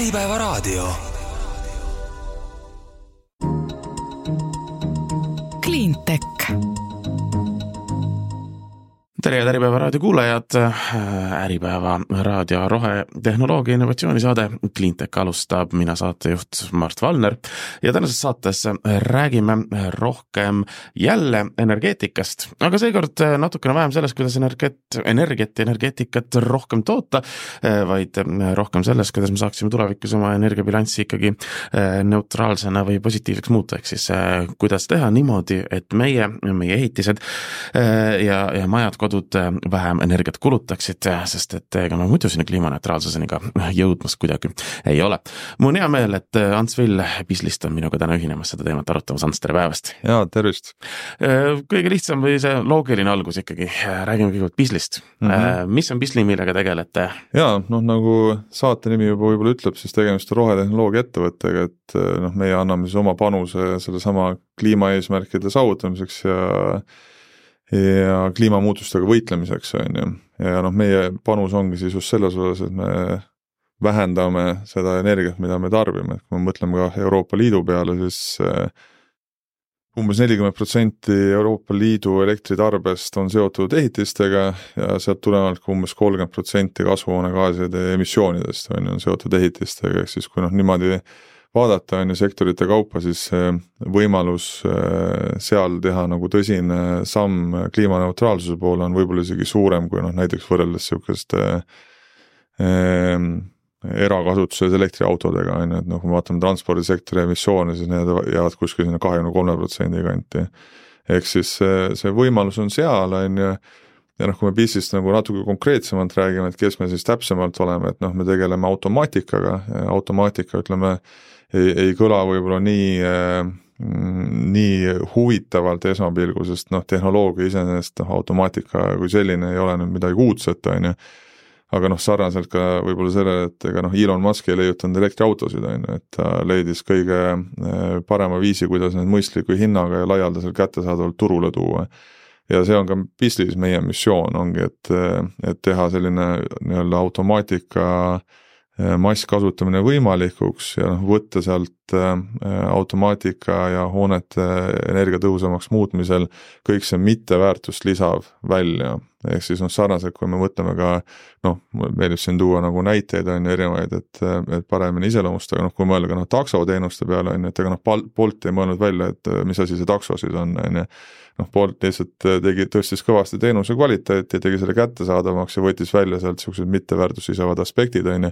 Äripäevaraadio. Cleantech. Tere Äripäevaraadio kuulajad, Äripäeva raadio rohetehnoloogia innovatsioonisaade Cleantech alustab, mina saatejuht Mart Valner ja tänases saates räägime rohkem jälle energeetikast, aga seekord natukene vähem sellest, kuidas energeetikat rohkem toota, vaid rohkem sellest, kuidas me saaksime tulevikus oma energiabilanssi ikkagi neutraalsena või positiivseks muuta, ehk siis kuidas teha niimoodi, et meie ehitised ja majad vähem energiat kulutaksid, sest et ega me muidu sinna kliimaneutraalsuseni ka jõudmas kuidagi ei ole. Mul on hea meel, et Ants Vill Bislist on minuga täna ühinemas seda teemat arutamas. Ants, tere päevast! Jaa, tervist! Kõige lihtsam või see loogiline algus ikkagi. Räägime kõigepealt Bislist. Mis on Bisli, millega tegelete? Jaa, nagu saate nimi juba võib-olla ütleb, siis tegemist on rohetehnoloogia ettevõttega, et meie anname siis oma panuse selle sama kliimaeesmärkide saavutamiseks ja kliimamuutustega võitlemiseks on ju. Ja meie panus ongi siis just selles osas, et me vähendame seda energiat, mida me tarbime. Kui me mõtleme ka Euroopa Liidu peale, siis umbes 40% Euroopa Liidu elektritarbest on seotud ehitistega ja sealt tulenevalt umbes 30% kasvuhoonegaaside emissioonidest on seotud ehitistega, ehk siis kui niimoodi vaadata on ju sektorite kaupa, siis võimalus seal teha nagu tõsine samm kliimaneutraalsuse poole on võib-olla isegi suurem kui näiteks võrreldes niisugust erakasutuses elektriautodega on ju, et kui me vaatame transpordisektori emissioone, siis need jäävad kuskil sinna 23% kanti. Ehk siis see võimalus on seal on ju, ja kui me Bislist nagu natuke konkreetsemalt räägime, et kes me siis täpsemalt oleme, et me tegeleme automaatikaga, automaatika ütleme ei kõla võib-olla nii huvitavalt esmapilgu, sest tehnoloogia iseenesest automaatika kui selline ei ole nüüd midagi uudset, on ju. Aga sarnaselt ka võib-olla sellele, et Elon Musk ei leiutanud elektriautosid, on ju, et ta leidis kõige parema viisi, kuidas need mõistliku hinnaga ja laialdaselt kättesaadavalt turule tuua. Ja see on ka Bislis meie missioon ongi, et teha selline nii-öelda automaatika masskasutamine võimalikuks ja võtta sealt automaatika ja hoonete energiatõhusamaks muutmisel kõik see mitteväärtust lisav välja. Ehk siis sarnaselt, kui me mõtleme ka, meeldib siin tuua nagu näiteid on erinevaid, et paremini iseloomustada, kui mõelda ka taksoteenuste peale on, et ega Bolt ei mõelnud välja, et mis asi see taksosid on. Bolt lihtsalt tõstis kõvasti teenuse kvaliteeti ja tegi selle kättesaadavamaks ja võttis välja sealt sellised mitteväärtust lisavad aspektid on.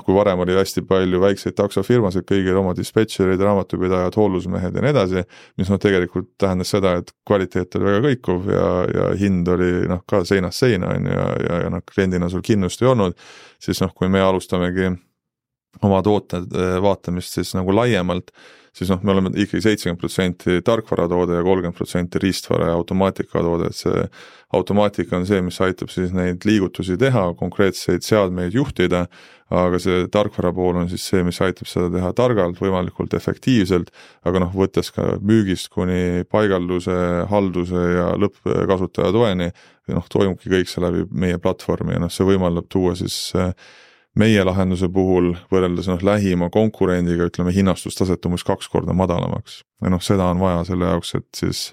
Kui varem oli hästi palju väikseid taksofirmasid, kõigil oma dispetšerid, raamatupidajad, hoolusmehed ja nii edasi, mis tegelikult tähendas seda, et kvaliteet oli väga kõikuv ja hind oli ka seinast seina on ja kliendina sul kinnust ei olnud, siis kui me alustamegi oma tooted vaatamist siis nagu laiemalt, siis me oleme ikkagi 70% tarkvaratoode ja 30% riistvara ja automaatikatoode, et see automaatika on see, mis aitab siis neid liigutusi teha, konkreetseid seadmeid juhtida, aga see tarkvara pool on siis see, mis aitab seda teha targalt, võimalikult efektiivselt, aga võttes ka müügist kuni paigalduse, halduse ja lõppkasutaja toeni, toimubki kõik see läbi meie platvormi ja see võimaldab tuua siis meie lahenduse puhul võrreldes lähima konkurendiga, ütleme, hinnastustaset umbes 2 korda madalamaks. Ja seda on vaja selle jaoks, et siis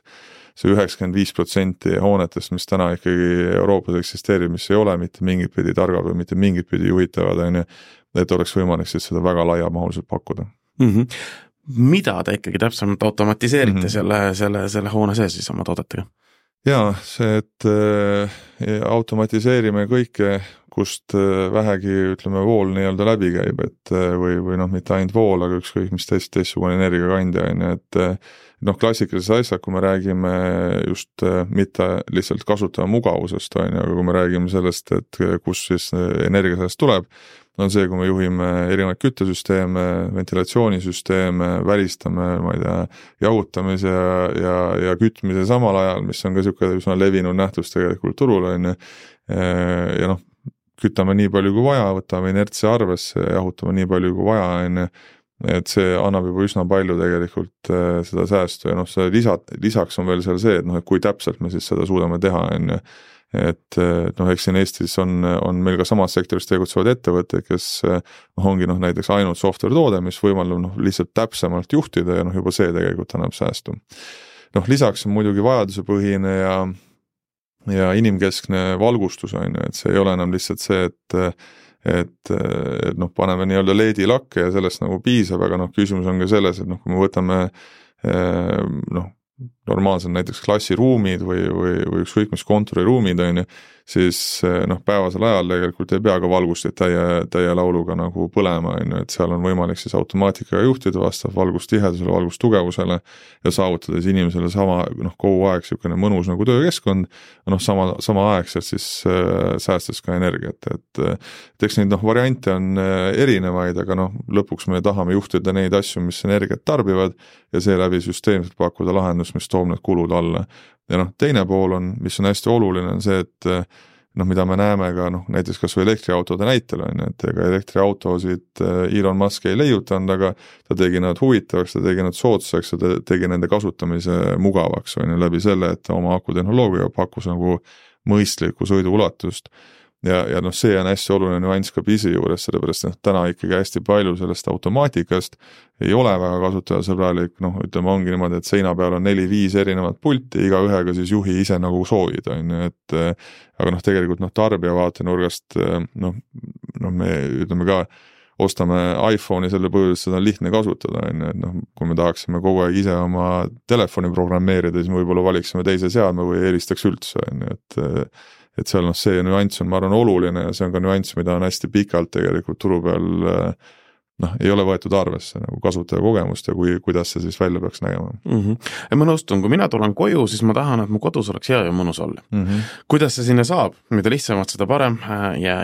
see 95% hoonetest, mis täna ikkagi Euroopas eksisteerib, mis ei ole mitte mingit pidi targad või mitte mingit pidi juhitavad, et oleks võimalik siis seda väga laiamahuliselt pakkuda. Mida te ikkagi täpsemalt automatiseerite selle hoone sees siis oma toodetega? Jaa, see, et automatiseerime kõike, kust vähegi, ütleme, vool nii-öelda läbi käib, et või mitte ainult vool, aga ükskõik mis teistsugune energiakandja on, et klassikalises asjad, kui me räägime just mitte lihtsalt kasutaja mugavusest, aga kui me räägime sellest, et kus siis energia sellest tuleb, on see, kui me juhime erinevaid küttesüsteeme, ventilatsioonisüsteeme, välistame, jahutamise ja kütmise samal ajal, mis on ka niisugune levinud nähtus tegelikult turul on ja kütame nii palju kui vaja, võtame inertse arvesse, jahutame nii palju kui vaja on, et see annab juba üsna palju tegelikult seda säästu ja see lisaks on veel seal see, et kui täpselt me siis seda suudame teha on. et noh, eks siin Eestis on meil ka samas sektoris tegutsevad ettevõtted, kes ongi noh, näiteks ainult software toode, mis võimaldab noh, lihtsalt täpsemalt juhtida ja noh, juba see tegelikult annab säästu. Noh, lisaks on muidugi vajadusepõhine ja inimkeskne valgustus on ju, et see ei ole enam lihtsalt see, et noh, paneme nii-öelda LED-i lakke ja sellest nagu piisab, aga noh, küsimus on ka selles, et noh, kui me võtame noh, normaalselt näiteks klassiruumid või ükskõik mis kontoriruumid on ju, siis noh, päevasel ajal tegelikult ei pea ka valgustit täie lauluga nagu põlema on ju, et seal on võimalik siis automaatikaga juhtida vastav valgustihedusele, valgustugevusele ja saavutada siis inimesele sama noh, kogu aeg niisugune mõnus nagu töökeskkond, noh, samaaegselt siis säästes ka energiat, et eks neid noh, variante on erinevaid, aga noh, lõpuks me tahame juhtida neid asju, mis energiat tarbivad ja seeläbi süsteemselt pakkuda lahendust, mis toob need kulud alla. Ja noh, teine pool on, mis on hästi oluline, on see, et noh, mida me näeme ka noh, näiteks kas või elektriautode näitel on, et ega elektriautosid Elon Musk ei leiutanud, aga ta tegi nad huvitavaks, ta tegi nad soodsaks ja ta tegi nende kasutamise mugavaks on ju läbi selle, et oma akutehnoloogia pakkus nagu mõistlikku sõiduulatust. Ja noh, see on hästi oluline nüanss ka BIS-i juures, sellepärast noh, täna ikkagi hästi palju sellest automaatikast ei ole väga kasutajasõbralik, noh, ütleme ongi niimoodi, et seina peal on 4-5 erinevat pulti, iga ühega siis juhi ise nagu soovid, on ju, et aga noh, tegelikult noh, tarbija vaatenurgast noh, me ütleme ka, ostame iPhone'i selle põhjus, seda on lihtne kasutada, on ju, et noh, kui me tahaksime kogu aeg ise oma telefoni programmeerida, siis me võib-olla valiksime teise seadme või eelistaks üldse, on ju, et seal noh, see nüanss on, ma arvan, oluline ja see on ka nüanss, mida on hästi pikalt tegelikult turu peal noh, ei ole võetud arvesse nagu kasutaja kogemust ja kuidas see siis välja peaks nägema. Ja ma nõustun, kui mina tulen koju, siis ma tahan, et mu kodus oleks hea ja mõnus olla. Kuidas see sinna saab? Mida lihtsamalt, seda parem ja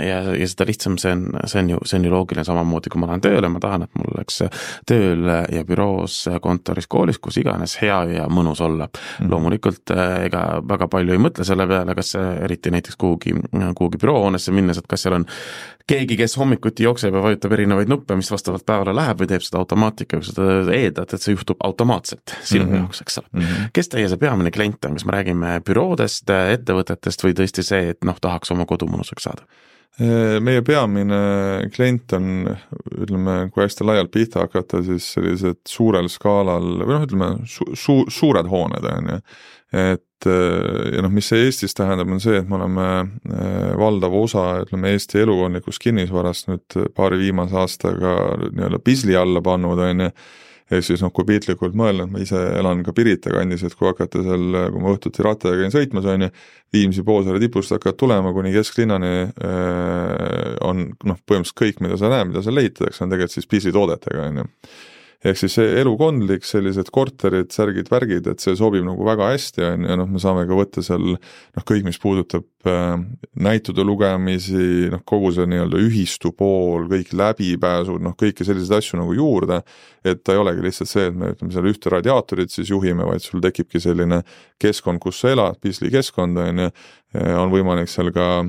seda lihtsam see on ju loogiline samamoodi, kui ma lähen tööle, ma tahan, et mul oleks tööl ja büroos, kontoris, koolis, kus iganes hea ja mõnus olla. Loomulikult ega väga palju ei mõtle selle peale, kas eriti näiteks kuhugi büroohoonesse minnes, et kas seal on keegi, kes hommikuti jookseb ja vajutab erinevaid nuppe, mis vastavalt päevale läheb või teeb seda automaatika, kui seda eeldad, et see juhtub automaatselt sinu jaoks, eks ole. Kes teie see peamine klient on? Kas me räägime büroodest, ettevõtetest või tõesti see, et noh, tahaks oma kodu mõnusaks saada? Meie peamine klient on, ütleme, kui hästi laialt pihta hakata, siis sellised suurel skaalal, või noh, ütleme, suured hooned on ju, et ja noh, mis see Eestis tähendab, on see, et me oleme valdav osa, ütleme, Eesti elukondlikust kinnisvarast nüüd paari viimase aastaga nii-öelda BIS-li alla pannud, on ju, ja siis noh, kui piitlikult mõelnud, ma ise elan ka Pirita kandis, et kui hakata seal, kui ma õhtuti rattaga käin sõitmas, on ju, Viimsi Poosaare tipust hakkad tulema kuni kesklinnani on noh, põhimõtteliselt kõik, mida sa näed, mida sa leitatakse, on tegelikult siis BIS-i toodetega, on ju. Ehk siis see elukondlik, sellised korterid, särgid, värgid, et see sobib nagu väga hästi on ja noh, me saame ka võtta seal noh, kõik, mis puudutab näitude lugemisi, noh, kogu see nii-öelda ühistu pool, kõik läbipääsud, noh, kõiki selliseid asju nagu juurde, et ta ei olegi lihtsalt see, et me ütleme seal ühte radiaatorit siis juhime, vaid sul tekibki selline keskkond, kus sa elad, BIS-li keskkond on ja on võimalik seal ka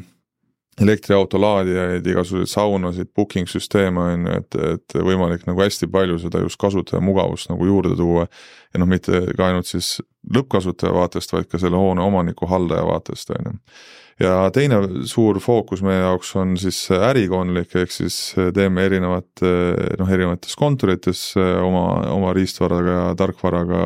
elektriauto laadijaid, igasuguseid saunasid, booking-süsteeme on, et võimalik nagu hästi palju seda just kasutaja mugavust nagu juurde tuua ja noh, mitte ka ainult siis lõppkasutaja vaatest, vaid ka selle hoone omaniku haldaja vaatest on. Ja teine suur fookus meie jaoks on siis ärikondlik, ehk siis teeme erinevates kontorites oma riistvaraga ja tarkvaraga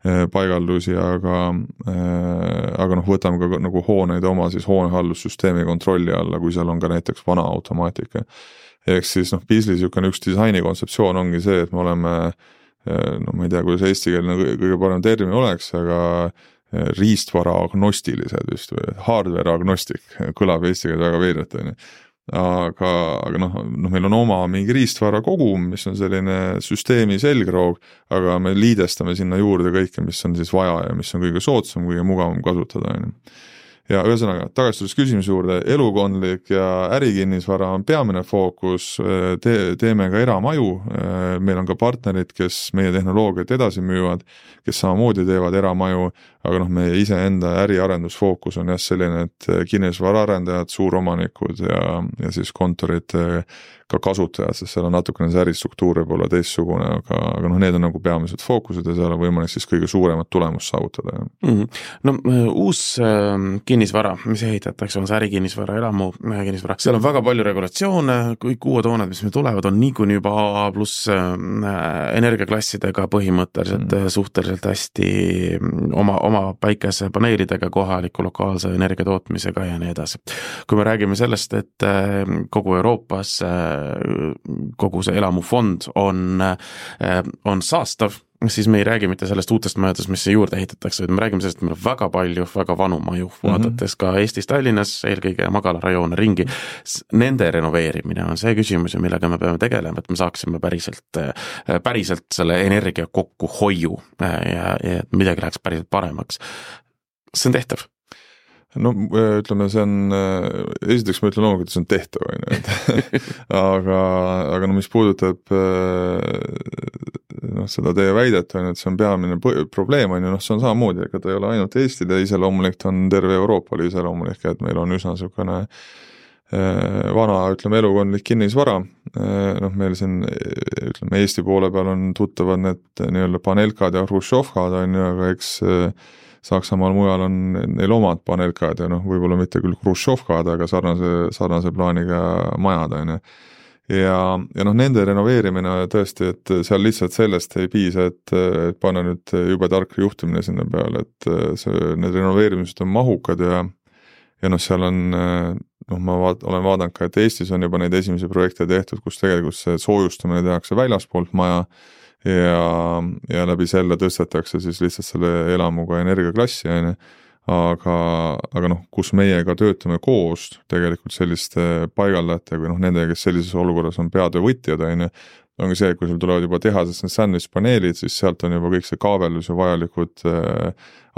paigaldusi, aga noh, võtame ka nagu hooneid oma siis hoonehaldussüsteemi kontrolli alla, kui seal on ka näiteks vana automaatika. Ehk siis noh, BIS-li niisugune üks disaini kontseptsioon ongi see, et me oleme, no ma ei tea, kuidas eestikeelne kõige parem termin oleks, aga riistvara agnostilised vist või hardware agnostic, kõlab eesti keeles väga veidralt, on ju. Aga noh, meil on oma mingi riistvara kogum, mis on selline süsteemi selgroog, aga me liidestame sinna juurde kõike, mis on siis vaja ja mis on kõige soodsam, kõige mugavam kasutada. Ja ühesõnaga, tagastudes küsimuse juurde, elukondlik ja ärikinnisvara on peamine fookus, teeme ka eramaju, meil on ka partnerid, kes meie tehnoloogiat edasi müüvad, kes samamoodi teevad eramaju, aga noh, meie iseenda äriarendusfookus on jah selline, et kinnisvaraarendajad, suuromanikud ja siis kontorid ka kasutajad, sest seal on natukene see äristruktuur võib olla teistsugune, aga noh, need on nagu peamised fookused ja seal on võimalik siis kõige suuremat tulemust saavutada. No uus kinnisvara, mis ehitatakse, on see ärikinnisvara, elamu kinnisvara, seal on väga palju regulatsioone, kõik uued hooned, mis meil tulevad, on niikuinii juba A+ energiaklassidega põhimõtteliselt suhteliselt hästi oma päikesepaneelidega, kohaliku lokaalse energiatootmisega ja nii edasi. Kui me räägime sellest, et kogu Euroopas kogu see elamufond on saastav, siis me ei räägi mitte sellest uutest majadest, mis juurde ehitatakse, vaid me räägime sellest, et meil on väga palju, väga vanu maju, vaadates ka Eestis Tallinnas, eelkõige magalarajoone ringi. Nende renoveerimine on see küsimus, millega me peame tegelema, et me saaksime päriselt selle energia kokkuhoiu ja midagi läheks päriselt paremaks. See on tehtav. No ütleme, see on, esiteks ma ütlen loomulikult, et see on tehtav, aga no mis puudutab seda teie väidet, et see on peamine probleem, see on samamoodi, ega ta ei ole ainult Eestile iseloomulik, ta on terve Euroopale iseloomulik, et meil on üsna niisugune vana, ütleme, elukondlik kinnisvara, meil siin, ütleme, Eesti poole peal on tuttavad need nii-öelda panelkad ja hruštšovkad, aga eks Saksamaal mujal on neil omad panelkad ja võib-olla mitte küll hruštšovkad, aga sarnase plaaniga majad, Ja nende renoveerimine tõesti, et seal lihtsalt sellest ei piisa, et panna nüüd jube tark juhtimine sinna peale, et need renoveerimised on mahukad ja seal on, ma olen vaadanud ka, et Eestis on juba neid esimesi projekte tehtud, kus tegelikult see soojustamine tehakse väljaspoolt maja ja läbi selle tõstetakse siis lihtsalt selle elamuga energiaklassi, aga kus meiega töötame koos tegelikult selliste paigaldajate või nendega, kes sellises olukorras on peatöövõtjad, ongi see, et kui sul tulevad juba tehasest need sandwich-paneelid, siis sealt on juba kõik see kaabelus ja vajalikud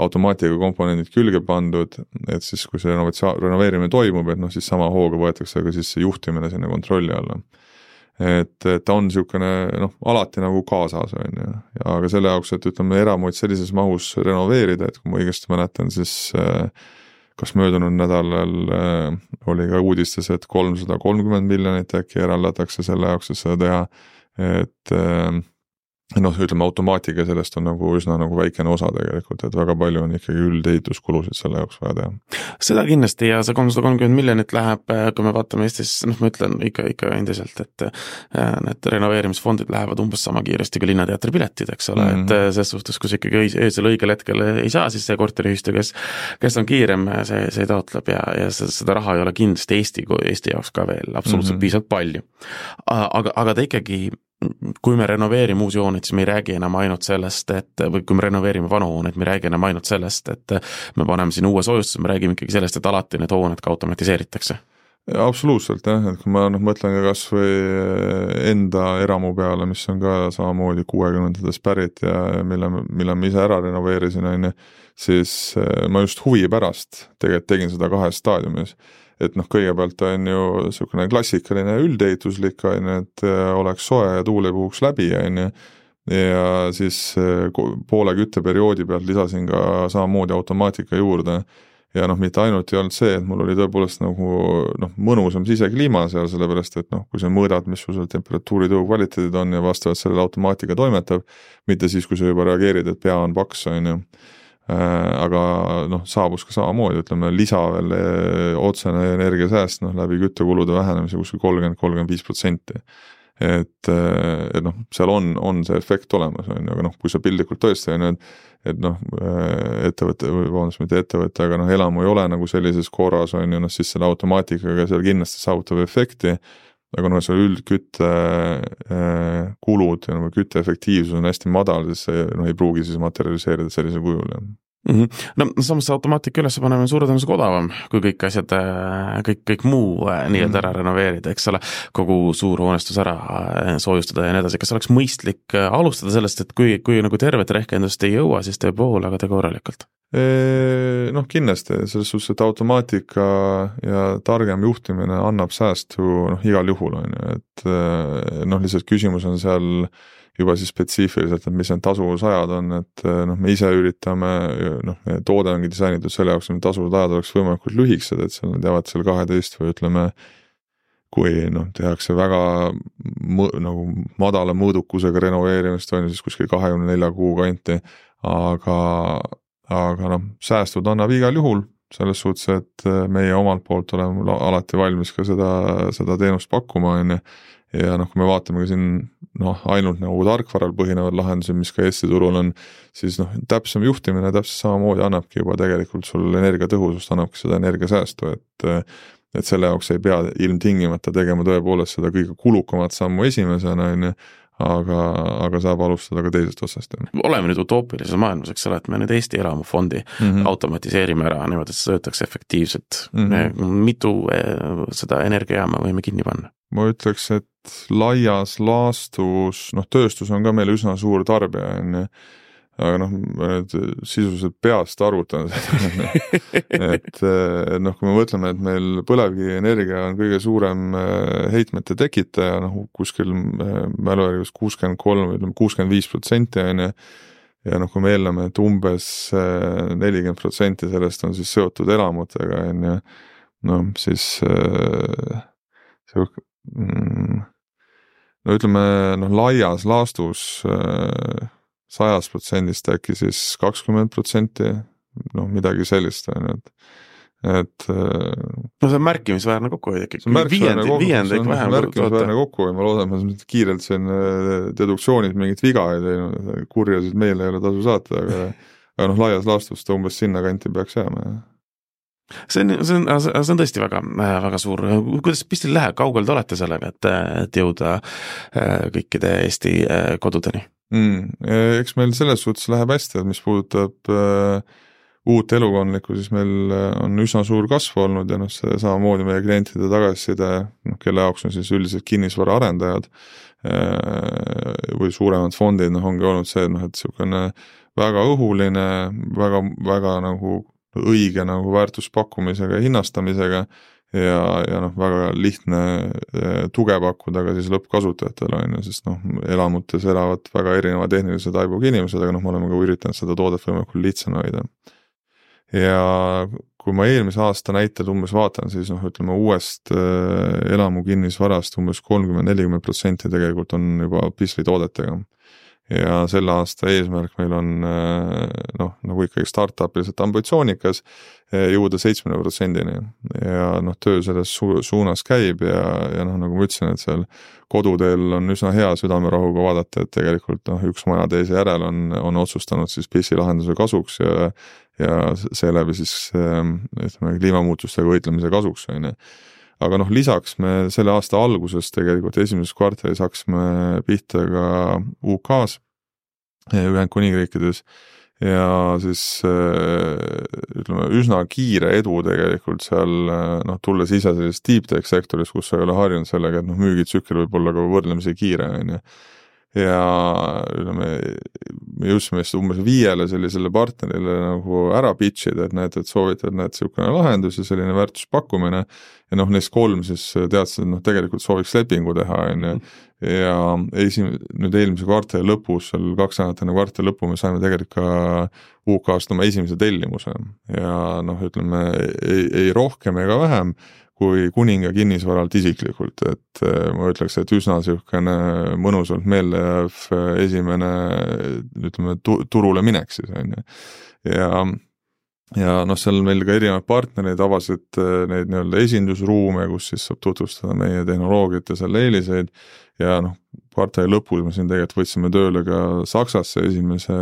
automaatika komponendid külge pandud, et siis kui see renoveerimine toimub, et siis sama hooga võetakse ka siis see juhtimine sinna kontrolli alla. Et ta on niisugune alati nagu kaasas, aga selle jaoks, et ütleme eramuid sellises mahus renoveerida, et kui ma õigesti mäletan, siis kas möödunud nädalal oli ka uudistes, et 330 miljonit äkki eraldatakse selle jaoks, et seda teha, et ütleme automaatika sellest on nagu üsna nagu väikene osa tegelikult, et väga palju on ikkagi üldeehituskulusid selle jaoks vaja teha. Seda kindlasti ja see 330 miljonit läheb, kui me vaatame Eestis, ma ütlen ikka endiselt, et need renoveerimisfondid lähevad umbes sama kiiresti kui linnateatri piletid, eks ole, et selles suhtes, kus ikkagi öösel õigel hetkel ei saa, siis see korteriühistu, kes on kiirem, see taotleb ja seda raha ei ole kindlasti Eesti jaoks ka veel absoluutselt piisavalt palju. Aga ta ikkagi kui me renoveerime uusi hooneid, siis me ei räägi enam ainult sellest, või kui me renoveerime vanu hooneid, me ei räägi enam ainult sellest, et me paneme siin uue soojustuse, me räägime ikkagi sellest, et alati need hooned ka automatiseeritakse. Ja, absoluutselt, et kui ma mõtlen ka kas või enda eramu peale, mis on ka samamoodi 60-ndades pärit ja mille ma ise ära renoveerisin, siis ma just huvi pärast tegelikult tegin seda 2 staadiumis. Et kõigepealt on ju niisugune klassikaline üldeehituslik, et oleks soe ja tuul ei puhuks läbi, ja siis poole kütteperioodi pealt lisasin ka samamoodi automaatika juurde ja mitte ainult ei olnud see, et mul oli tõepoolest nagu mõnusam sisekliima seal, sellepärast et kui sa mõõdad, mis sul temperatuuri tõu kvaliteedid on ja vastavalt sellele automaatika toimetab, mitte siis, kui sa juba reageerid, et pea on paks, aga saabus ka samamoodi, ütleme lisa veel otsene energiasääst läbi küttekulude vähenemise kuskil 30-35%. Et seal on see efekt olemas, aga kui sa pildikult tõesti et ettevõte, mitte ettevõte, aga elamu ei ole nagu sellises korras, siis selle automaatikaga seal kindlasti saavutab efekti, aga see üldkütte kulud ja kütte efektiivsus on hästi madal, siis see ei pruugi siis materialiseerida sellisel kujul. Samas automaatika üles panemine suure tõenäosusega odavam, kui kõik asjad, kõik muu nii-öelda ära renoveerida, eks ole, kogu suur hoonestus ära soojustada ja nii edasi. Kas oleks mõistlik alustada sellest, et kui nagu tervet rehkendust ei jõua, siis teeb pool, aga tee korralikult? Kindlasti, selles suhtes, et automaatika ja targem juhtimine annab säästu igal juhul, et lihtsalt küsimus on seal juba siis spetsiifiliselt, et mis need tasuvusajad on, et me ise üritame, toode ongi disainitud selle jaoks, et tasuvusajad oleks võimalikult lühiksed, et seal nad jäävad seal 12 või ütleme kui noh, tehakse väga nagu madala mõõdukusega renoveerimist, on siis kuskil 24 kuu kanti, aga noh, säästud annab igal juhul, selles suhtes, et meie omalt poolt oleme alati valmis ka seda teenust pakkuma, ja noh, kui me vaatame ka siin ainult nagu tarkvaral põhinevad lahendusi, mis ka Eesti turul on, siis noh, täpsem juhtimine täpselt samamoodi annabki juba tegelikult sul energiatõhusust, annabki seda energiasäästu, et selle jaoks ei pea ilmtingimata tegema tõepoolest seda kõige kulukamat sammu esimesena, aga saab alustada ka teisest otsast. Oleme nüüd utoopilises maailmas, eks ole, et me nüüd Eesti elamufondi automatiseerime ära, niimoodi, et see töötaks efektiivselt. Mitu seda energiajaama võime kinni panna? Ma ütleks, et laias laastus, tööstus on ka meil üsna suur tarbija, aga sisuliselt peast arvutan seda, et kui me mõtleme, et meil põlevkivi energia on kõige suurem heitmete tekitaja, kuskil mäluvärgus 63-65% ja kui me eeldame, et umbes 40% sellest on siis seotud elamutega, siis ütleme, laias laastus 100% äkki siis 20%, midagi sellist, et see on märkimisväärne kokkuhoid ikkagi. Viiendik vähem märkimisväärne kokkuhoid, ma loodan, et ma kiirelt siin deduktsioonid mingit viga ei teinud, kurjasid meile ei ole tasu saata, aga laias laastus ta umbes sinna kanti peaks jääma. See on tõesti väga, väga suur. Kuidas pistil läheb, kaugel te olete sellega, et jõuda kõikide Eesti kodudeni? Eks meil selles suhtes läheb hästi, et mis puudutab uut elukondlikku, siis meil on üsna suur kasv olnud ja see samamoodi meie klientide tagasiside, kelle jaoks on siis üldiselt kinnisvara arendajad või suuremad fondid, ongi olnud see, et selline väga õhuline, väga, väga nagu õige nagu väärtuspakkumisega ja hinnastamisega ja väga lihtne tuge pakkuda ka siis lõppkasutajatele, sest elamutes elavad väga erineva tehnilise taibuga inimesed, aga me oleme ka üritanud seda toodet võimalikult lihtsana hoida. Ja kui ma eelmise aasta näited umbes vaatan, siis ütleme uuest elamu kinnisvarast umbes 30-40% tegelikult on juba pisli toodetega. Ja selle aasta eesmärk meil on nagu ikkagi startupiliselt ambitsioonikas jõuda 70%-ni ja töö selles suunas käib ja nagu ma ütlesin, et seal koduteel on üsna hea südamerahuga vaadata, et tegelikult üks maja teise järel on otsustanud siis PIS-i lahenduse kasuks ja seeläbi siis ütleme kliimamuutustega võitlemise kasuks. Aga lisaks me selle aasta alguses tegelikult esimeses kvartalis hakkasime pihta ka UK-s, Ühendkuningriikides ja siis ütleme üsna kiire edu tegelikult seal tulles ise sellest deep tech sektoris, kus sa ei ole harjunud sellega, et müügitsükkel võib olla ka võrdlemisi kiire, ja ütleme, me jõudsime umbes 5 sellisele partnerile nagu ära pitchida, et näed, et soovitad selline lahendus ja selline väärtuspakkumine ja neist 3 siis teadsid, et tegelikult sooviks lepingu teha, ja nüüd eelmise kvartali lõpus, seal 2 nädalat enne kvartali lõppu me saime tegelikult ka UK-st oma esimese tellimuse ja ütleme, ei rohkem ega vähem kui kuninga kinnisvaralt isiklikult, et ma ütleks, et üsna selline mõnusalt meelde jääv esimene, ütleme, turule minek siis, ja seal meil ka erinevad partnerid avasid neid nii-öelda esindusruume, kus siis saab tutvustada meie tehnoloogiat ja selle eeliseid ja kvartali lõpus me siin tegelikult võtsime tööle ka Saksasse esimese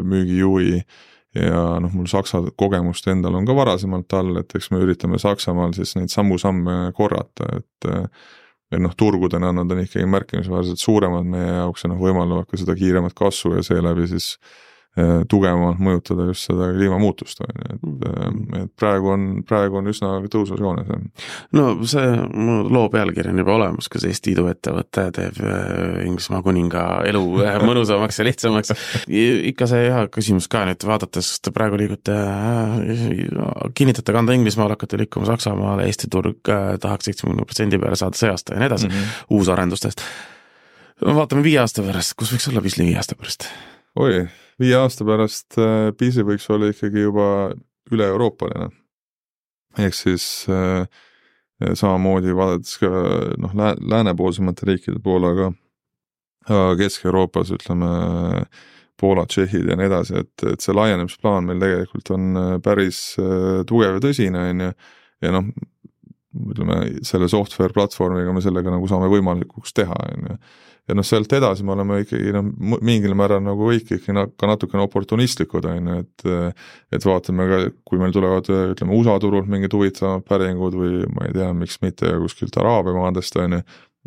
müügijuhi ja mul Saksa kogemust endal on ka varasemalt all, et eks me üritame Saksamaal siis neid samme korrata, et turgudena nad on ikkagi märkimisväärselt suuremad meie jaoks ja võimaldavad ka seda kiiremat kasvu ja seeläbi siis tugevamalt mõjutada just seda kliimamuutust, et praegu on üsna tõusvas joones. No see loo pealkiri on juba olemas, kas Eesti iduettevõte teeb Inglismaa kuninga elu mõnusamaks ja lihtsamaks. Ikka see hea küsimus ka nüüd vaadates, te praegu liigute, kinnitate kanda Inglismaal, hakkate liikuma Saksamaale, Eesti turg tahaks 70% peale saada see aasta ja nii edasi, uusarendustest. Vaatame 5 aasta pärast, kus võiks olla Pisli 5 aasta pärast? 5 aasta pärast PIS-i võiks olla ikkagi juba üle-euroopaline. Ehk siis samamoodi vaadates ka läänepoolsemate riikide poole, aga Kesk-Euroopas ütleme Poola, Tšehhid ja nii edasi, et see laienemisplaan meil tegelikult on päris tugev ja tõsine, ja ütleme, selle software platvormiga me sellega nagu saame võimalikuks teha, ja sealt edasi me oleme ikkagi mingil määral nagu ikkagi ka natukene oportunistlikud, et vaatame ka, kui meil tulevad, ütleme, USA turult mingid huvitavad päringud või ma ei tea, miks mitte kuskilt Araabia maadest,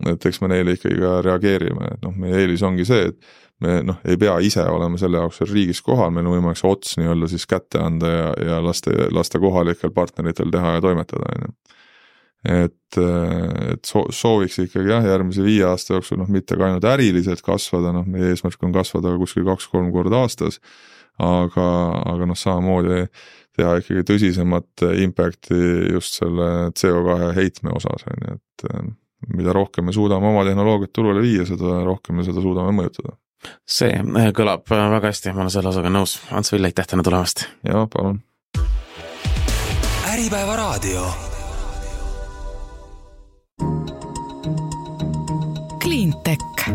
et eks me neile ikkagi ka reageerime, et meie eelis ongi see, et me ei pea ise olema selle jaoks riigis kohal, meil on võimalik see ots nii-öelda siis kätte anda ja lasta kohalikel partneritel teha ja toimetada, et sooviks ikkagi järgmise 5 aasta jooksul mitte ka ainult äriliselt kasvada, meie eesmärk on kasvada kuskil 2-3 korda aastas, aga samamoodi teha ikkagi tõsisemat impacti just selle CO2 heitme osas, et mida rohkem me suudame oma tehnoloogiat turule viia, seda rohkem me seda suudame mõjutada. See kõlab väga hästi, ma olen selle osaga nõus. Ants Vill, aitäh täna tulemast! Jaa, palun! Äripäeva raadio. Cleantech.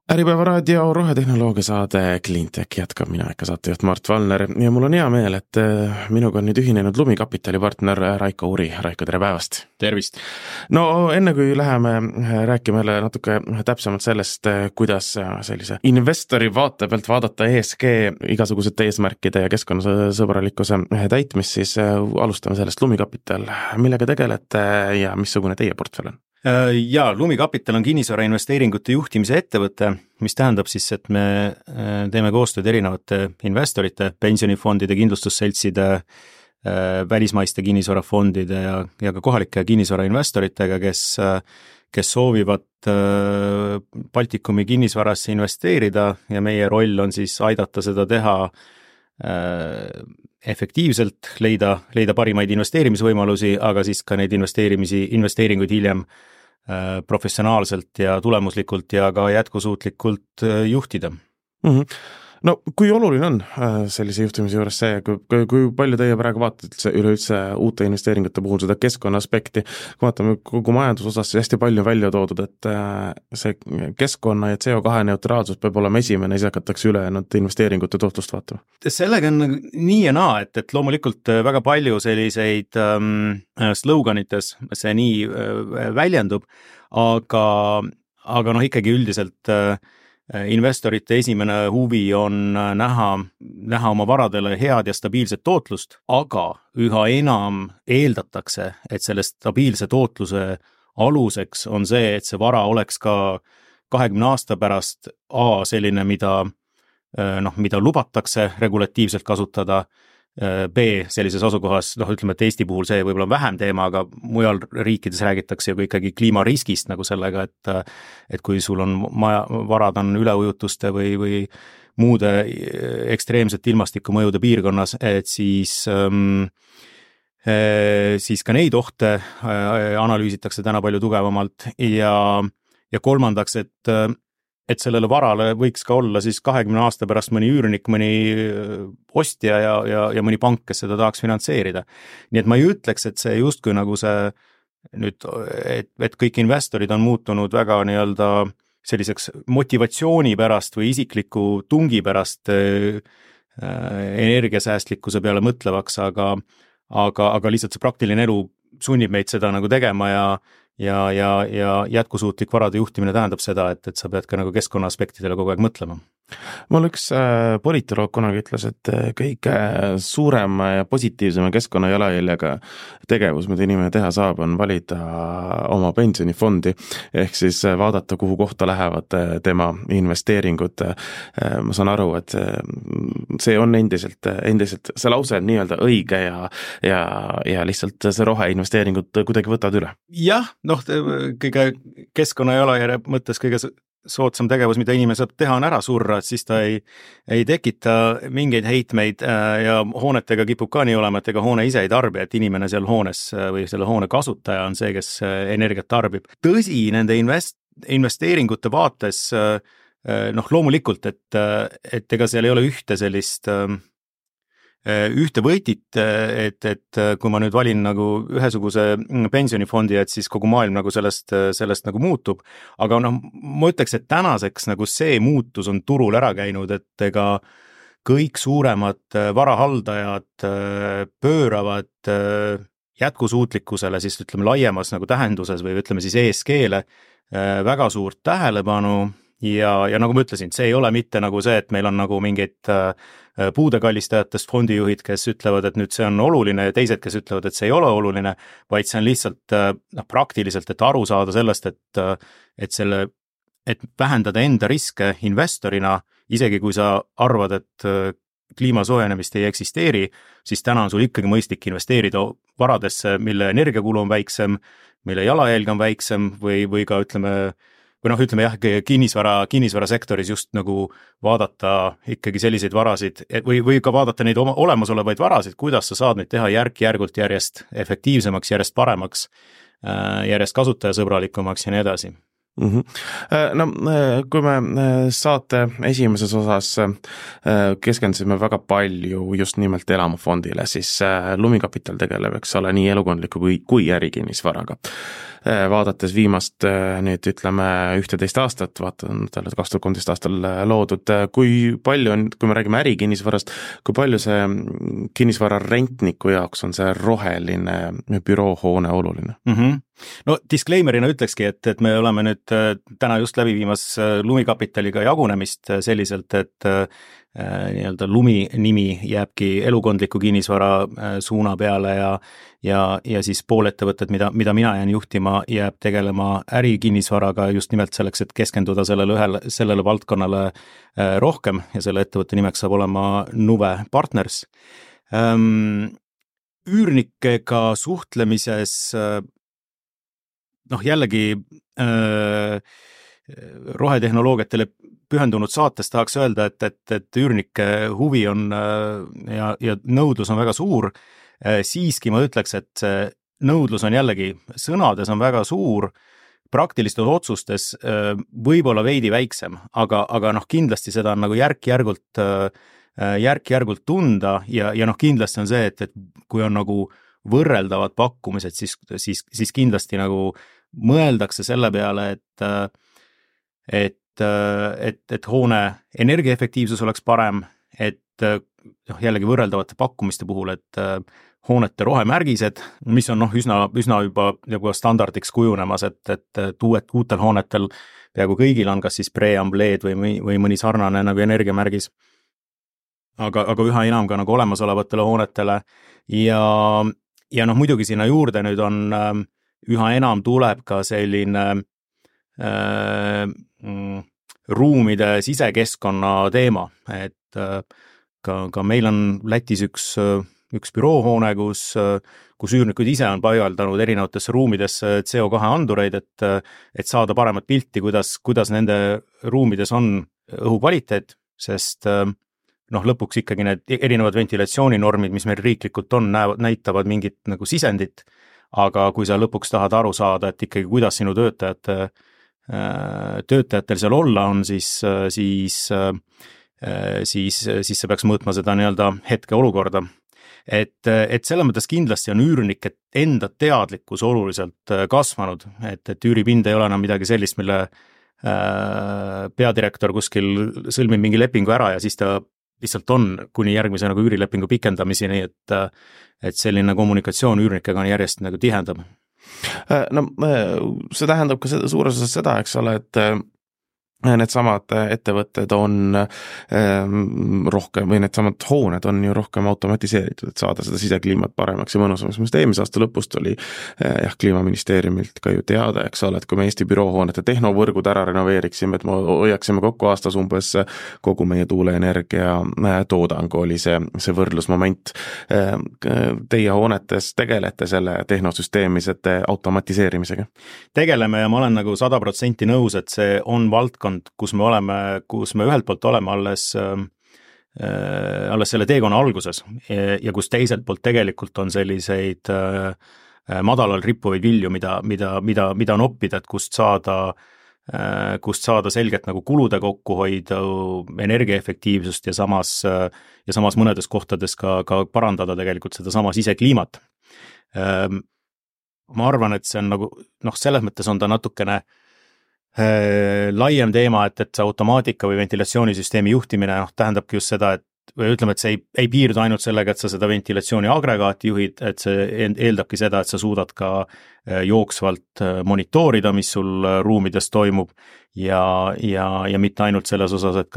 Äripäeva raadio rohetehnoloogia saade Cleantech jätkab mina ikka saatejuht Mart Valner ja mul on hea meel, et minuga on nüüd ühinenud Lumikapitali partner Raiko Uri. Raiko, tere päevast! Tervist! No enne kui läheme rääkime natuke täpsemalt sellest, kuidas sellise investori vaate pealt vaadata ESG igasugused eesmärkide ja keskkonnasõbralikkuse täitmist, siis alustame sellest. Lumikapital, millega tegelete ja missugune teie portfell on? Ja, Lumikapital on kinnisvara investeeringute juhtimise ettevõte, mis tähendab siis, et me teeme koostööd erinevate investorite, pensionifondide, kindlustusseltside, välismaiste kinnisvarafondide ja ka kohalike kinnisvara investoritega, kes soovivad Baltikumi kinnisvarasse investeerida ja meie roll on siis aidata seda teha efektiivselt, leida parimaid investeerimisvõimalusi, aga siis ka neid investeeringuid hiljem professionaalselt ja tulemuslikult ja ka jätkusuutlikult juhtida. No kui oluline on sellise juhtimise juures see, kui palju teie praegu vaatate üleüldse uute investeeringute puhul seda keskkonna aspekti, kui vaatame kogu majandusosas hästi palju välja toodud, et see keskkonna ja CO2 neutraalsus peab olema esimene, siis hakatakse ülejäänud investeeringute tootlust vaatama? Sellega on nii ja naa, et loomulikult väga palju selliseid sloganites see nii väljendub, aga ikkagi üldiselt investorite esimene huvi on näha oma varadele head ja stabiilset tootlust, aga üha enam eeldatakse, et selle stabiilse tootluse aluseks on see, et see vara oleks ka 20 aasta pärast selline, mida lubatakse regulatiivselt kasutada, B sellises asukohas, ütleme, et Eesti puhul see võib-olla on vähem teema, aga mujal riikides räägitakse ju ikkagi kliimariskist nagu sellega, et kui sul on varad on üleujutuste või muude ekstreemsete ilmastikumõjude piirkonnas, et siis ka neid ohte analüüsitakse täna palju tugevamalt ja kolmandaks, et sellele varale võiks ka olla siis 20 aasta pärast mõni üürnik, mõni ostja ja mõni pank, kes seda tahaks finantseerida. Nii et ma ei ütleks, et see justkui nagu see nüüd, et kõik investorid on muutunud väga nii-öelda selliseks motivatsiooni pärast või isikliku tungi pärast energiasäästlikkuse peale mõtlevaks, aga lihtsalt see praktiline elu sunnib meid seda nagu tegema ja jätkusuutlik varade juhtimine tähendab seda, et sa pead ka nagu keskkonna aspektidele kogu aeg mõtlema. Mul üks politoloog kunagi ütles, et kõige suurem ja positiivsema keskkonna jalajäljega tegevus, mida inimene teha saab, on valida oma pensionifondi, ehk siis vaadata, kuhu kohta lähevad tema investeeringud. Ma saan aru, et see on endiselt see lause on nii-öelda õige ja lihtsalt see roheinvesteeringud kuidagi võtavad üle. Jah, kõige keskkonna jalajärje mõttes kõige soodsam tegevus, mida inimene saab teha, on ära surra, et siis ta ei tekita mingeid heitmeid ja hoonetega kipub ka nii olema, et ega hoone ise ei tarbi, et inimene seal hoones või selle hoone kasutaja on see, kes energiat tarbib. Tõsi, nende investeeringute vaates loomulikult, et ega seal ei ole ühte sellist ühte võitit, et kui ma nüüd valin nagu ühesuguse pensionifondi, et siis kogu maailm nagu sellest nagu muutub, aga noh, ma ütleks, et tänaseks nagu see muutus on turul ära käinud, et ega kõik suuremad varahaldajad pööravad jätkusuutlikkusele siis ütleme laiemas nagu tähenduses või ütleme siis ESG-le väga suurt tähelepanu ja nagu ma ütlesin, see ei ole mitte nagu see, et meil on nagu mingid puudekallistajatest fondijuhid, kes ütlevad, et nüüd see on oluline ja teised, kes ütlevad, et see ei ole oluline, vaid see on lihtsalt praktiliselt, et aru saada sellest, et vähendada enda riske investorina, isegi kui sa arvad, et kliima soojenemist ei eksisteeri, siis täna on sul ikkagi mõistlik investeerida varadesse, mille energiakulu on väiksem, mille jalajälg on väiksem või ka ütleme jah, kinnisvarasektoris just nagu vaadata ikkagi selliseid varasid või ka vaadata neid olemasolevaid varasid, kuidas sa saad neid teha järk-järgult järjest efektiivsemaks, järjest paremaks, järjest kasutajasõbralikumaks ja nii edasi. No kui me saate esimeses osas keskendusime väga palju just nimelt elamufondile, siis Lumikapital tegeleb, eks ole, nii elukondliku kui ärikinnisvaraga. Vaadates viimast nüüd ütleme 11 aastat, vaatan 2013 aastal loodud, kui palju on, kui me räägime ärikinnisvarast, kui palju see kinnisvara rentniku jaoks on see roheline büroohoone oluline? No disclaimerina ütlekski, et me oleme nüüd täna just läbi viimas Lumikapitaliga jagunemist selliselt, et nii-öelda Lumi nimi jääbki elukondliku kinnisvara suuna peale ja siis pool ettevõtted, mida mina jään juhtima, jääb tegelema ärikinnisvaraga just nimelt selleks, et keskenduda sellele valdkonnale rohkem ja selle ettevõtte nimeks saab olema Nuve Partners. Üürnikega suhtlemises jällegi rohetehnoloogiatele pühendunud saates tahaks öelda, et üürnike huvi on ja nõudlus on väga suur, siiski ma ütleks, et see nõudlus on jällegi, sõnades on väga suur, praktilistes otsustes võib-olla veidi väiksem, aga kindlasti seda on nagu järk-järgult tunda ja kindlasti on see, et kui on nagu võrreldavad pakkumised, siis kindlasti nagu mõeldakse selle peale, et hoone energiaefektiivsus oleks parem, et jällegi võrreldavate pakkumiste puhul, et hoonete rohemärgised, mis on üsna juba standardiks kujunemas, et uutel hoonetel peaaegu kõigil on kas siis preambleed või mõni sarnane nagu energiamärgis, aga üha enam ka nagu olemasolevatele hoonetele ja muidugi sinna juurde nüüd on üha enam tuleb ka selline ruumide sisekeskkonna teema, et ka meil on Lätis üks büroohoone, kus üürnikud ise on paigaldanud erinevatesse ruumidesse CO2 andureid, et saada paremat pilti, kuidas nende ruumides on õhukvaliteet, sest lõpuks ikkagi need erinevad ventilatsiooninormid, mis meil riiklikult on, näitavad mingit nagu sisendit, aga kui sa lõpuks tahad aru saada, et ikkagi kuidas sinu töötajatel seal olla on, siis sa peaks mõõtma seda nii-öelda hetke olukorda. Et selle mõttes kindlasti on üürnike enda teadlikkus oluliselt kasvanud, et üüripind ei ole enam midagi sellist, mille peadirektor kuskil sõlmib mingi lepingu ära ja siis ta lihtsalt on kuni järgmise nagu üürilepingu pikendamiseni, et selline kommunikatsioon üürnikega on järjest nagu tihendab. No see tähendab ka suures osas seda, eks ole, et needsamad ettevõtted on rohkem või needsamad hooned on ju rohkem automatiseeritud, et saada seda sisekliimat paremaks ja mõnusamaks. Mõnest eelmise aasta lõpust oli kliimaministeeriumilt ka ju teada, eks ole, et kui me Eesti büroohoonete tehnovõrgud ära renoveeriksime, et me hoiaksime kokku aastas umbes kogu meie tuuleenergia toodang oli see võrdlusmoment. Teie hoonetes tegelete selle tehnosüsteemisete automatiseerimisega? Tegeleme ja ma olen nagu 100% nõus, et see on valdkond, kus me ühelt poolt oleme alles selle teekonna alguses ja kus teiselt poolt tegelikult on selliseid madalal rippuvaid vilju, mida on oppida, et kust saada kust saada selgelt nagu kulude kokkuhoidu, energiaefektiivsust ja samas mõnedes kohtades ka parandada tegelikult seda sama sisekliimat. Ma arvan, et see on nagu, selles mõttes on ta natukene laiem teema, et see automaatika või ventilatsioonisüsteemi juhtimine tähendabki just seda, või ütleme, et see ei piirdu ainult sellega, et sa seda ventilatsiooni agregaati juhid, et see eeldabki seda, et sa suudad ka jooksvalt monitoorida, mis sul ruumides toimub ja mitte ainult selles osas, et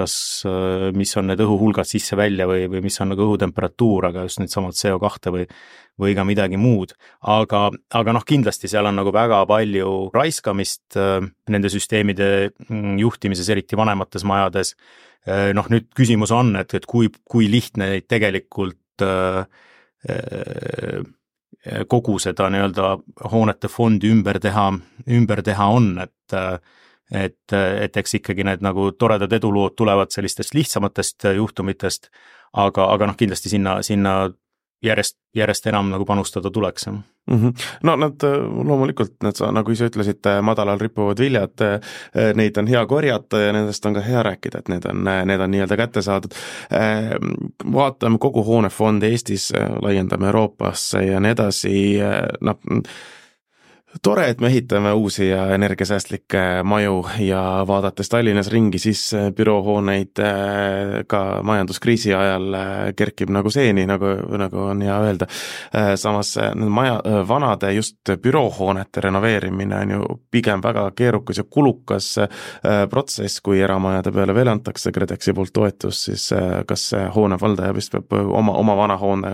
mis on need õhuhulgad sisse-välja või mis on nagu õhutemperatuur, aga just need samad CO2 või ka midagi muud. Aga kindlasti seal on nagu väga palju raiskamist nende süsteemide juhtimises, eriti vanemates majades. Nüüd küsimus on, et kui lihtne neid tegelikult kogu seda nii-öelda hoonete fondi ümber teha on, et eks ikkagi need nagu toredad edulood tulevad sellistest lihtsamatest juhtumitest, aga kindlasti sinna järjest enam nagu panustada tuleks. No nad loomulikult, nagu ise ütlesid, madalal rippuvad viljad, neid on hea korjata ja nendest on ka hea rääkida, et need on nii-öelda kätte saadud. Vaatame kogu hoonefondi Eestis, laiendame Euroopasse ja nii edasi, tore, et me ehitame uusi ja energiasäästlikke maju ja vaadates Tallinnas ringi, siis büroohooneid ka majanduskriisi ajal kerkib nagu seeni, nagu on hea öelda. Samas vanade just büroohoonete renoveerimine on ju pigem väga keerukas ja kulukas protsess, kui eramajade peale veel antakse KredExi poolt toetus, siis kas hoonevaldaja vist peab oma vana hoone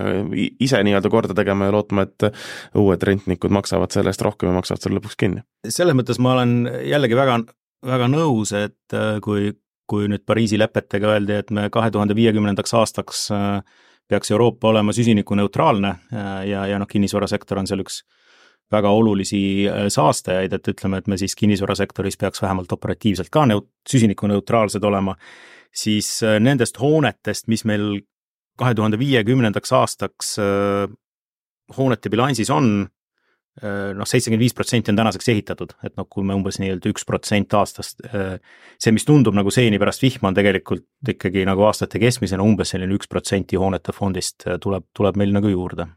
ise nii-öelda korda tegema ja lootma, et uued rentnikud maksavad selle eest rohkem ja maksavad selle lõpuks kinni. Selles mõttes ma olen jällegi väga, väga nõus, et kui nüüd Pariisi lepetega öeldi, et me 2050. aastaks peaks Euroopa olema süsinikuneutraalne ja kinnisvarasektor on seal üks väga olulisi saastajaid, et ütleme, et me siis kinnisvarasektoris peaks vähemalt operatiivselt ka süsinikuneutraalsed olema, siis nendest hoonetest, mis meil 2050. aastaks hoonete bilansis on, 75% on tänaseks ehitatud, et kui me umbes nii-öelda 1% aastast, see, mis tundub nagu seeni pärast vihma, on tegelikult ikkagi nagu aastate keskmisena umbes selline 1% hoonete fondist tuleb meil nagu juurde.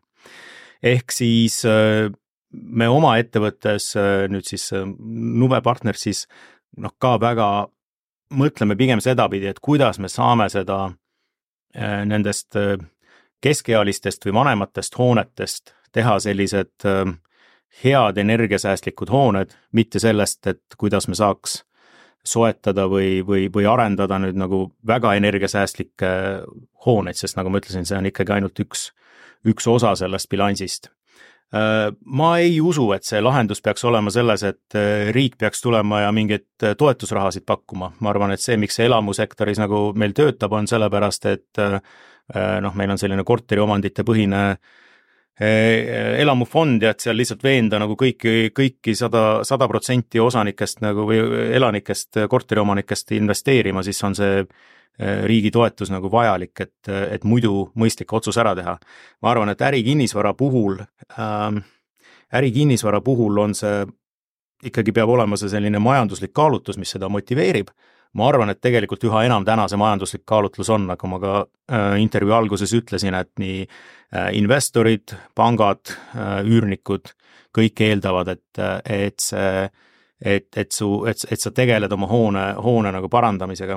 Ehk siis me oma ettevõttes nüüd siis Nuve Partners siis ka väga mõtleme pigem sedapidi, et kuidas me saame seda nendest keskealistest või vanematest hoonetest teha sellised head energiasäästlikud hooned, mitte sellest, et kuidas me saaks soetada või arendada nüüd nagu väga energiasäästlikke hooneid, sest nagu ma ütlesin, see on ikkagi ainult üks osa sellest bilansist. Ma ei usu, et see lahendus peaks olema selles, et riik peaks tulema ja mingeid toetusrahasid pakkuma. Ma arvan, et see, miks see elamusektoris nagu meil töötab, on sellepärast, et meil on selline korteriomandite põhine elamufond ja et seal lihtsalt veenda nagu kõiki 100% osanikest nagu või elanikest, korteriomanikest investeerima, siis on see riigi toetus nagu vajalik, et muidu mõistlik otsus ära teha. Ma arvan, et ärikinnisvara puhul on see, ikkagi peab olema see selline majanduslik kaalutlus, mis seda motiveerib. Ma arvan, et tegelikult üha enam täna see majanduslik kaalutlus on, nagu ma ka intervjuu alguses ütlesin, et nii investorid, pangad, üürnikud, kõik eeldavad, et sa tegeled oma hoone nagu parandamisega.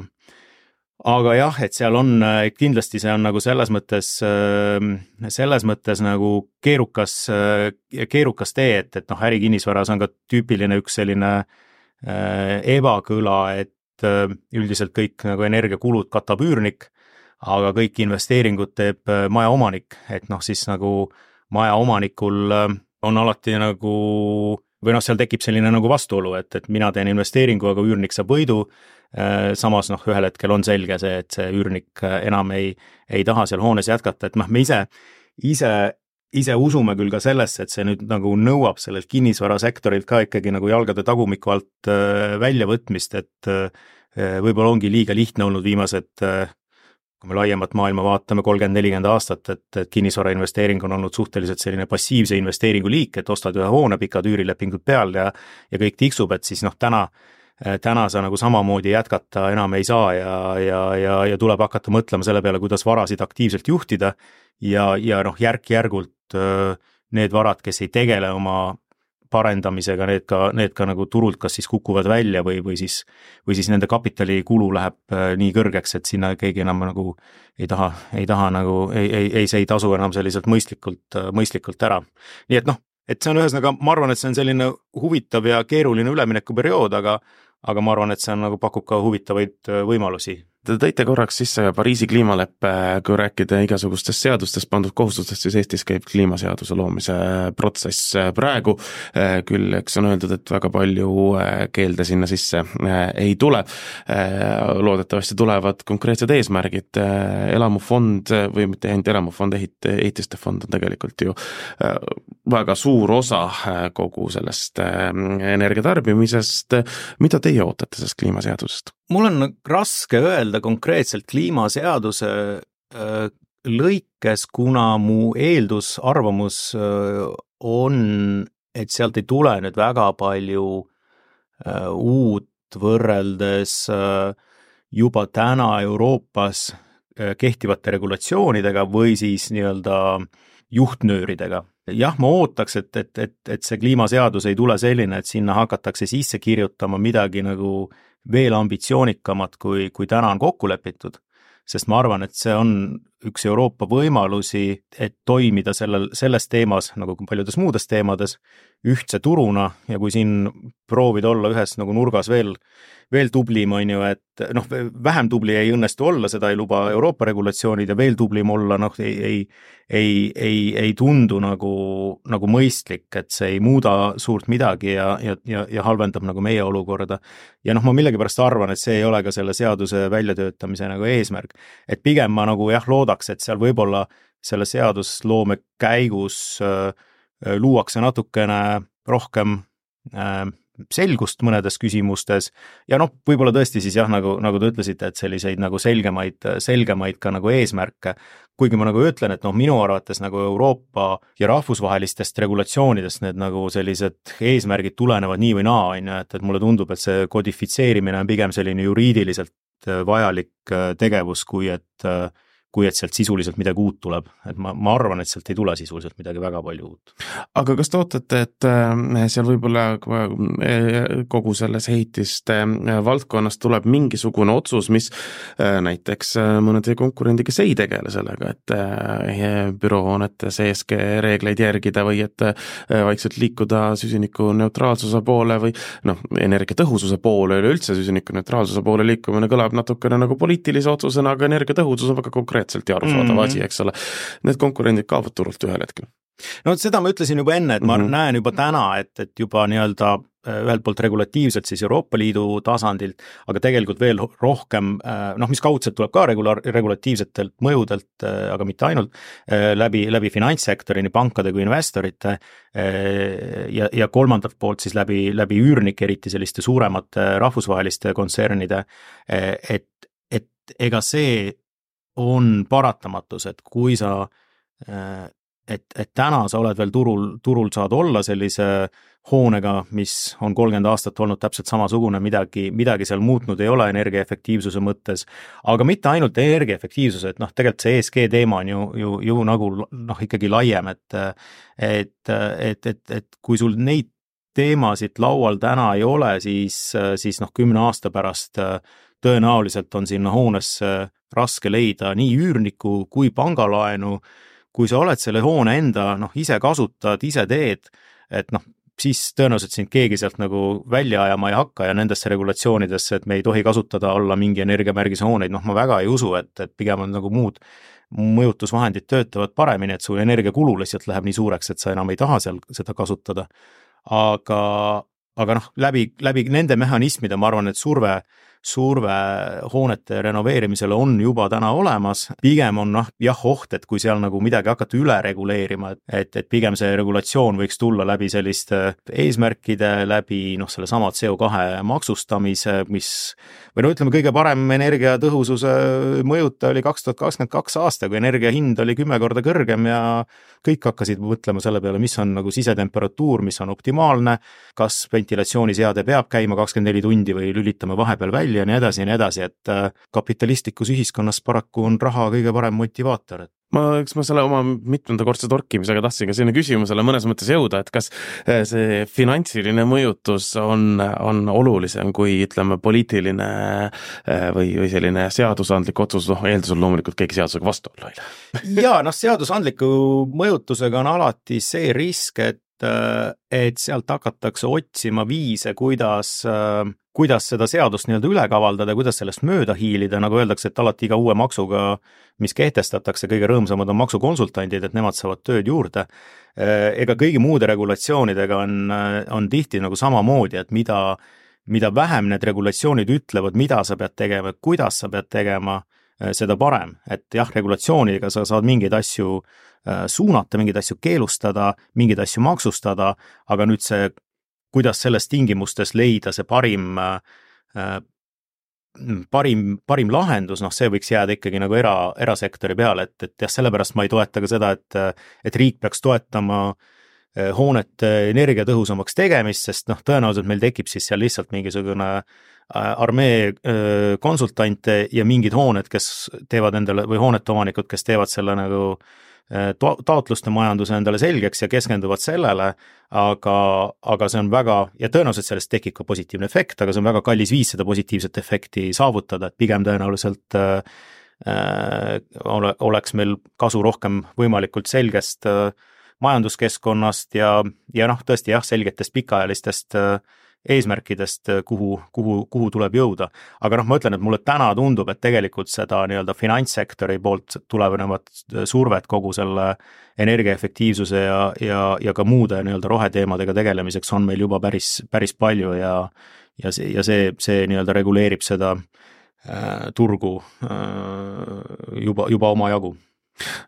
Aga jah, et seal on, kindlasti see on nagu selles mõttes nagu keerukas tee, et ärikinnisvaras on ka tüüpiline üks selline ebakõla, et üldiselt kõik nagu energiakulud katab üürnik, aga kõik investeeringud teeb maja omanik, et siis nagu maja omanikul on alati nagu, või seal tekib selline nagu vastuolu, et mina teen investeeringu, aga üürnik saab võidu, samas ühel hetkel on selge see, et see üürnik enam ei taha seal hoones jätkata, et me ise usume küll ka sellesse, et see nüüd nagu nõuab sellelt kinnisvarasektorilt ka ikkagi nagu jalgade tagumiku alt väljavõtmist, et võib-olla ongi liiga lihtne olnud viimased, kui me laiemat maailma vaatame 30-40 aastat, et kinnisvara investeering on olnud suhteliselt selline passiivse investeeringu liik, et ostad ühe hoone, pikad üürilepingud peal ja kõik tiksub, et siis täna täna sa nagu samamoodi jätkata enam ei saa ja tuleb hakata mõtlema selle peale, kuidas varasid aktiivselt juhtida ja noh, järk-järgult need varad, kes ei tegele oma parendamisega, need ka nagu turult kas siis kukuvad välja või siis nende kapitalikulu läheb nii kõrgeks, et sinna keegi enam nagu ei taha nagu, see ei tasu enam selliselt mõistlikult ära. Nii et noh, et see on ühesõnaga, ma arvan, et see on selline huvitav ja keeruline üleminekuperiood, aga ma arvan, et see on nagu pakub ka huvitavaid võimalusi. Te tõite korraks sisse Pariisi kliimaleppe, kui rääkida igasugustest seadustest pandud kohustustest, siis Eestis käib kliimaseaduse loomise protsess praegu, küll eks on öeldud, et väga palju keelde sinna sisse ei tule. Loodetavasti tulevad konkreetsed eesmärgid, elamufond või mitte ainult elamufond, ehitiste fond on tegelikult ju väga suur osa kogu sellest energiatarbimisest. Mida teie ootate sellest kliimaseadusest? Mul on raske öelda konkreetselt kliimaseaduse lõikes, kuna mu eeldusarvamus on, et sealt ei tule nüüd väga palju uut võrreldes juba täna Euroopas kehtivate regulatsioonidega või siis nii-öelda juhtnööridega. Jah, ma ootaks, et see kliimaseadus ei tule selline, et sinna hakatakse sisse kirjutama midagi nagu veel ambitsioonikamat, kui täna on kokku lepitud, sest ma arvan, et see on üks Euroopa võimalusi, et toimida selles teemas, nagu paljudes muudes teemades, ühtse turuna ja kui siin proovida olla ühes nagu nurgas veel tublim, on ju, et noh, vähem tubli ei õnnestu olla, seda ei luba Euroopa regulatsioonid ja veel tublim olla, noh, ei tundu nagu mõistlik, et see ei muuda suurt midagi ja halvendab nagu meie olukorda. Ja noh, ma millegipärast arvan, et see ei ole ka selle seaduse väljatöötamise nagu eesmärk. Et pigem ma nagu loodaks, et seal võib-olla selle seadusloome käigus luuakse natukene rohkem selgust mõnedes küsimustes ja noh, võib-olla tõesti siis jah, nagu te ütlesite, et selliseid nagu selgemaid ka nagu eesmärke, kuigi ma nagu ütlen, et noh, minu arvates nagu Euroopa ja rahvusvahelistest regulatsioonidest need nagu sellised eesmärgid tulenevad nii või naa, on ju, et mulle tundub, et see kodifitseerimine on pigem selline juriidiliselt vajalik tegevus, kui et sealt sisuliselt midagi uut tuleb. Et ma arvan, et sealt ei tule sisuliselt midagi väga palju uut. Aga kas te ootate, et seal võib-olla kogu selles ehitiste valdkonnas tuleb mingisugune otsus, mis näiteks mõnede konkurendi, kes ei tegele sellega, et büroohoonete CSG reegleid järgida või et vaikselt liikuda süsiniku neutraalsuse poole või noh, energiatõhususe poole, üleüldse süsiniku neutraalsuse poole liikumine kõlab natukene nagu poliitilise otsusena, aga energiatõhusus on väga konkreetselt ja arusaadav asi, eks ole. Need konkurendid kaovad turult ühel hetkel. No seda ma ütlesin juba enne, et ma näen juba täna, et juba nii-öelda ühelt poolt regulatiivselt siis Euroopa Liidu tasandilt, aga tegelikult veel rohkem, noh, mis kaudselt tuleb ka regulatiivsetelt mõjudelt, aga mitte ainult, läbi finantssektori, nii pankade kui investorite ja kolmandalt poolt siis läbi üürnike, eriti selliste suuremate rahvusvaheliste kontsernide, et ega see on paratamatus, et kui sa, et täna sa oled veel turul saad olla sellise hoonega, mis on 30 aastat olnud täpselt samasugune, midagi seal muutnud ei ole energiaefektiivsuse mõttes, aga mitte ainult energiaefektiivsuse, et noh, tegelikult see ESG teema on ju nagu noh, ikkagi laiem, et kui sul neid teemasid laual täna ei ole, siis noh, 10 aasta pärast tõenäoliselt on sinna hoonesse raske leida nii üürniku kui pangalaenu, kui sa oled selle hoone enda, noh, ise kasutad, ise teed, et noh, siis tõenäoliselt sind keegi sealt nagu välja ajama ei hakka ja nendesse regulatsioonidesse, et me ei tohi kasutada olla mingi energiamärgise hooneid, noh, ma väga ei usu, et pigem on nagu muud mõjutusvahendid töötavad paremini, et su energiakulu lihtsalt läheb nii suureks, et sa enam ei taha seal seda kasutada. Aga noh, läbi nende mehhanismide ma arvan, et surve surve hoonete renoveerimisele on juba täna olemas, pigem on oht, et kui seal nagu midagi hakata üle reguleerima, et pigem see regulatsioon võiks tulla läbi selliste eesmärkide, läbi selle sama CO2 maksustamise, või ütleme, kõige parem energiatõhususe mõjuta oli 2022 aasta, kui energia hind oli 10 korda kõrgem ja kõik hakkasid mõtlema selle peale, mis on nagu sisetemperatuur, mis on optimaalne, kas ventilatsiooniseade peab käima 24 tundi või lülitame vahepeal välja ja nii edasi, et kapitalistlikus ühiskonnas paraku on raha kõige parem motivaator. Eks ma selle oma mitmendakordse torkimisega tahtsin ka sinna küsimusele mõnes mõttes jõuda, et kas see finantsiline mõjutus on olulisem kui ütleme poliitiline või selline seadusandlik otsus, eeldusel loomulikult keegi seadusega vastu olla. Ja seadusandliku mõjutusega on alati see risk, et sealt hakatakse otsima viise, kuidas seda seadust üle kavaldada, kuidas sellest mööda hiilida, nagu öeldakse, et alati iga uue maksuga, mis kehtestatakse, kõige rõõmsamad on maksukonsultandid, et nemad saavad tööd juurde. Ega kõigi muude regulatsioonidega on tihti nagu samamoodi, et mida vähem need regulatsioonid ütlevad, mida sa pead tegema, kuidas sa pead tegema, seda parem. Et regulatsiooniga sa saad mingeid asju suunata, mingeid asju keelustada, mingeid asju maksustada, aga nüüd see, kuidas selles tingimustes leida see parim lahendus, see võiks jääda ikkagi nagu erasektori peale, et sellepärast ma ei toeta ka seda, et riik peaks toetama hoonete energiatõhusamaks tegemist, sest tõenäoliselt meil tekib siis seal lihtsalt mingisugune armee konsultante ja mingid hooned, kes teevad endale, või hoonete omanikud, kes teevad selle nagu taotluste majanduse endale selgeks ja keskenduvad sellele, aga see on väga, ja tõenäoliselt sellest tekib ka positiivne efekt, aga see on väga kallis viis seda positiivset efekti saavutada, et pigem tõenäoliselt oleks meil kasu rohkem võimalikult selgest majanduskeskkonnast ja tõesti selgetest pikaajalistest eesmärkidest, kuhu tuleb jõuda. Aga ma ütlen, et mulle täna tundub, et tegelikult seda finantssektori poolt tulevat survet kogu selle energiaefektiivsuse ja ka muude roheteemadega tegelemiseks on meil juba päris palju ja see reguleerib seda turgu juba omajagu.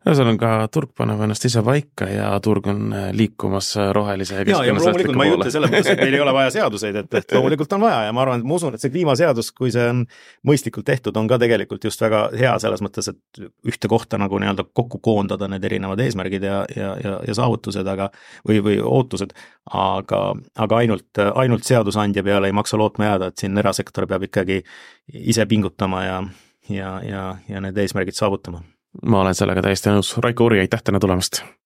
Ühesõnaga, turg paneb ennast ise paika ja turg on liikumas rohelise ja loomulikult ma ei ütle selle mõttes, et meil ei ole vaja seaduseid, et loomulikult on vaja ja ma arvan, et ma usun, et see kliimaseadus, kui see on mõistlikult tehtud, on ka tegelikult just väga hea selles mõttes, et ühte kohta nagu kokku koondada need erinevad eesmärgid ja saavutused, või ootused, aga ainult seadusandja peale ei maksa lootma jääda, et siin erasektor peab ikkagi ise pingutama ja need eesmärgid saavutama. Ma olen sellega täiesti nõus. Raiko Uri, aitäh täna tulemast!